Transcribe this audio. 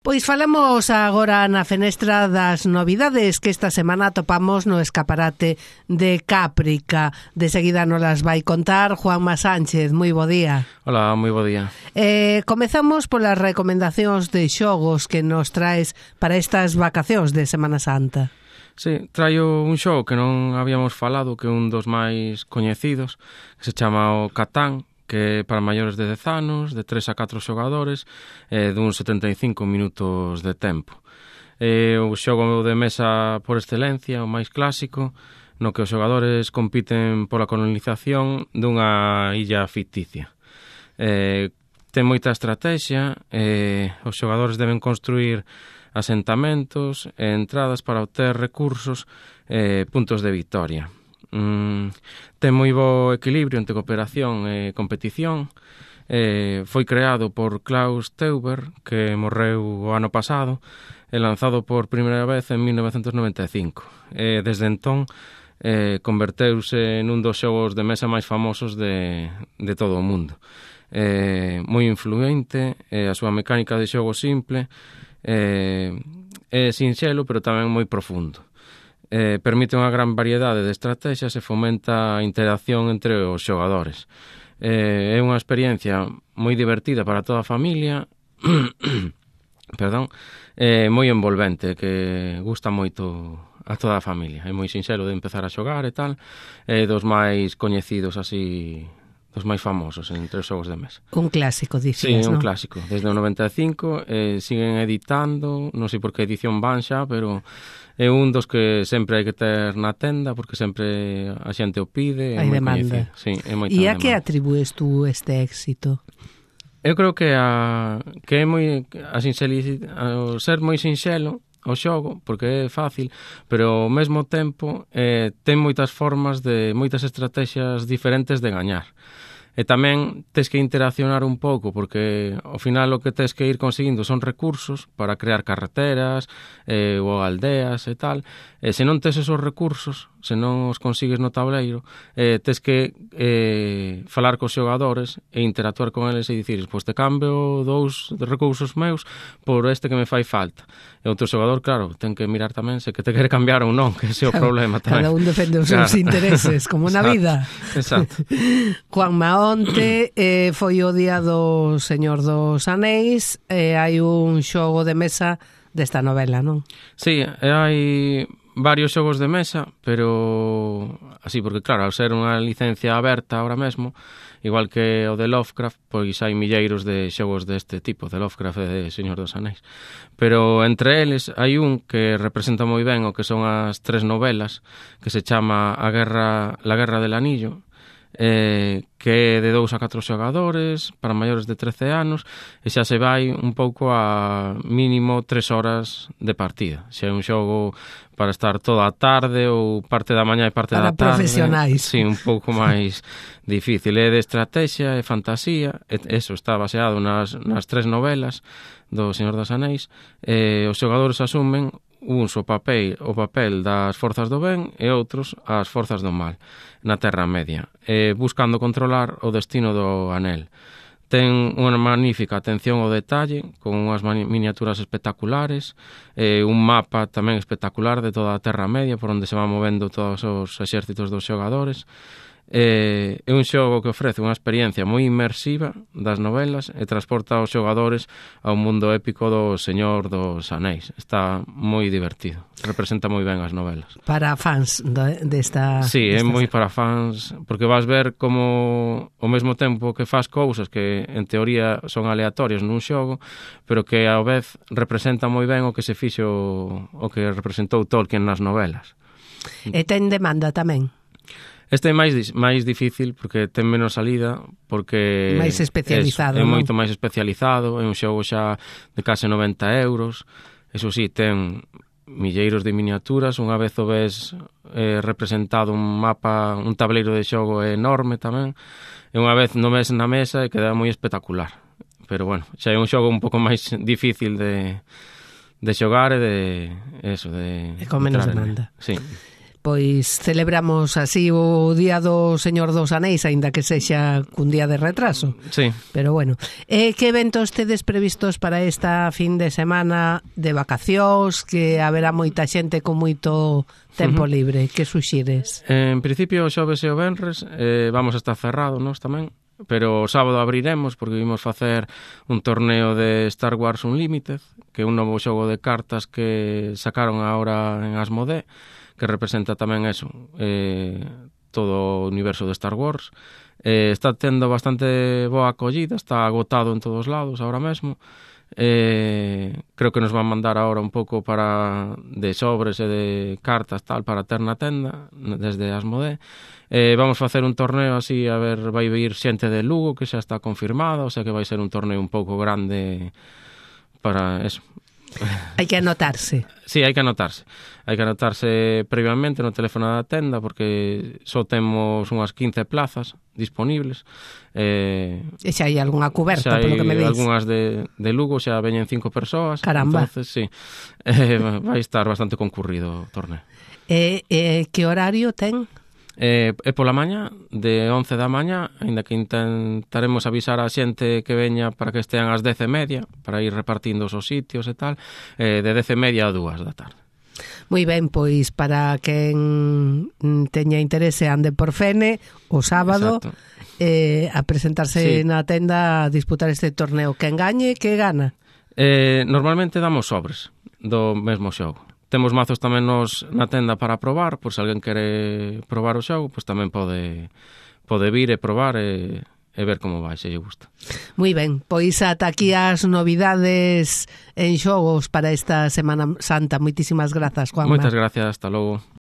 Pois falamos agora na fenestra das novidades que esta semana atopamos no escaparate de Cáprica. De seguida nos las vai contar Juanma Sánchez. Moi bo día. Hola, moi bo día. Comezamos polas recomendacións de xogos que nos traes para estas vacacións de Semana Santa. Sí, traio un xogo que non habíamos falado, que é un dos máis coñecidos, que se chama o Catán, que é para maiores de 10 anos, de 3 a 4 xogadores, dun 75 minutos de tempo. O xogo de mesa por excelencia, o máis clásico, no que os xogadores compiten pola colonización dunha illa ficticia. Ten moita estrategia, os xogadores deben construir asentamentos e entradas para obter recursos, puntos de victoria. Ten moi bo equilibrio entre cooperación e competición. Foi creado por Klaus Teuber, que morreu o ano pasado, e lanzado por primeira vez en 1995. Desde entón converteuse nun dos xogos de mesa máis famosos de todo o mundo. Moi influente, a súa mecánica de xogo simple, é sinxelo, pero tamén moi profundo. Permite unha gran variedade de estrategias e fomenta a interacción entre os xogadores. É unha experiencia moi divertida para toda a familia, moi envolvente, que gusta moito a toda a familia. É moi sinxelo de empezar a xogar e tal, é dos máis coñecidos así, dos máis famosos entre os xogos de mesa. Un clásico, dicías, sí, non? Un clásico. Desde o 95 siguen editando, non sei por que edición van xa, pero é un dos que sempre hai que ter na tenda, porque sempre a xente o pide. Hai demanda. Sí, é moita E a demanda. que atribúes tú este éxito? Eu creo que é moi ao ser moi sinxelo o xogo, porque é fácil, pero ao mesmo tempo ten moitas formas moitas estrategias diferentes de gañar. E tamén tes que interaccionar un pouco, porque ao final o que tes que ir conseguindo son recursos para crear carreteras ou aldeas e tal. E se non tes esos recursos, se non os consigues no tableiro, tes que falar cos xogadores e interactuar con eles e dicir, pois te cambio 2 recursos meus por este que me fai falta. E outro xogador, claro, ten que mirar tamén se que te quere cambiar ou non, que ese é o problema tamén. Cada un defende os seus intereses, como na vida. Exacto. Juanma, onte foi o día do Señor dos Anéis, hai un xogo de mesa desta novela, non? Sí, hai varios xogos de mesa, pero así, porque claro, ao ser unha licencia aberta ahora mesmo, igual que o de Lovecraft, pois hai milleiros de xogos deste tipo, de Lovecraft e de Señor dos Anéis. Pero entre eles hai un que representa moi ben o que son as 3 novelas, que se chama La Guerra del Anillo, que é de 2 a 4 xogadores para maiores de 13 anos e xa se vai un pouco a mínimo 3 horas de partida. Xa é un xogo para estar toda a tarde ou parte da mañá e parte da tarde. Para profesionais. Sí, un pouco máis difícil. É de estrategia e fantasía. Eso está baseado nas 3 novelas do Señor dos Anéis. Os xogadores asumen uns o papel das forzas do ben e outros as forzas do mal na Terra Media, buscando controlar o destino do anel. Ten unha magnífica atención ao detalle, con unhas miniaturas espectaculares, un mapa tamén espectacular de toda a Terra Media, por onde se van movendo todos os exércitos dos xogadores. É un xogo que ofrece unha experiencia moi inmersiva das novelas e transporta os xogadores ao mundo épico do Señor dos Anéis. Está moi divertido, representa moi ben as novelas. Para fans desta... Sí, é moi para fans, porque vas ver como ao mesmo tempo que faz cousas que en teoría son aleatorias nun xogo, pero que ao vez representa moi ben o que se fixo, o que representou Tolkien nas novelas. E ten demanda tamén? Este é máis difícil porque ten menos salida, porque máis especializado, é moito máis especializado, é un xogo xa de case 90 euros. Eso sí, ten milleiros de miniaturas, unha vez o ves representado un mapa, un tableiro de xogo enorme tamén, e unha vez no ves na mesa e queda moi espectacular. Pero bueno, xa é un xogo un pouco máis difícil de xogar e de eso, de con menos demanda. Sí. Pois celebramos así o Día do Señor dos Anéis, aínda que sexa cun día de retraso. Sí. Pero bueno, que eventos tedes previstos para esta fin de semana de vacacións, que haberá moita xente con moito tempo libre? Que suxires? En principio, o xoves e o venres vamos a estar cerrados, nós tamén, pero o sábado abriremos porque vimos facer un torneo de Star Wars Unlimited, que é un novo xogo de cartas que sacaron agora en Asmodee, que representa tamén eso, todo o universo de Star Wars. Está tendo bastante boa acollida, está agotado en todos lados ahora mesmo. Creo que nos van mandar ahora un pouco de sobres e de cartas tal para ter na tenda desde Asmodee. Vamos facer un torneo así, a ver, vai vir xente de Lugo que xa está confirmada, o sea que vai ser un torneo un pouco grande para eso. Hai que anotarse. Sí, hai que anotarse. Hai que anotarse previamente no teléfono da tenda porque só temos unhas 15 plazas disponibles. E xa hai algunha coberta, polo que me dis. Algunhas de Lugo, xa veñen 5 persoas. Caramba. Entonces, sí, vai estar bastante concurrido o torneo. Que horario ten? É pola mañá, de 11 da mañá, aínda que intentaremos avisar a xente que veña para que estean ás 10:30, para ir repartindo os sitios e tal, de 10:30 a 2 da tarde. Moi ben, pois para quen teña interese ande por Fene o sábado a presentarse na tenda a disputar este torneo. Quen gañe, que gana? Normalmente damos sobres do mesmo xogo. Temos mazos tamén na tenda para probar, por se alguén quere probar o xogo, pois tamén pode vir e probar e ver como vai, se lle gusta. Moi ben, pois ata aquí as novidades en xogos para esta Semana Santa. Moitísimas grazas, Juanma. Moitas gracias, hasta logo.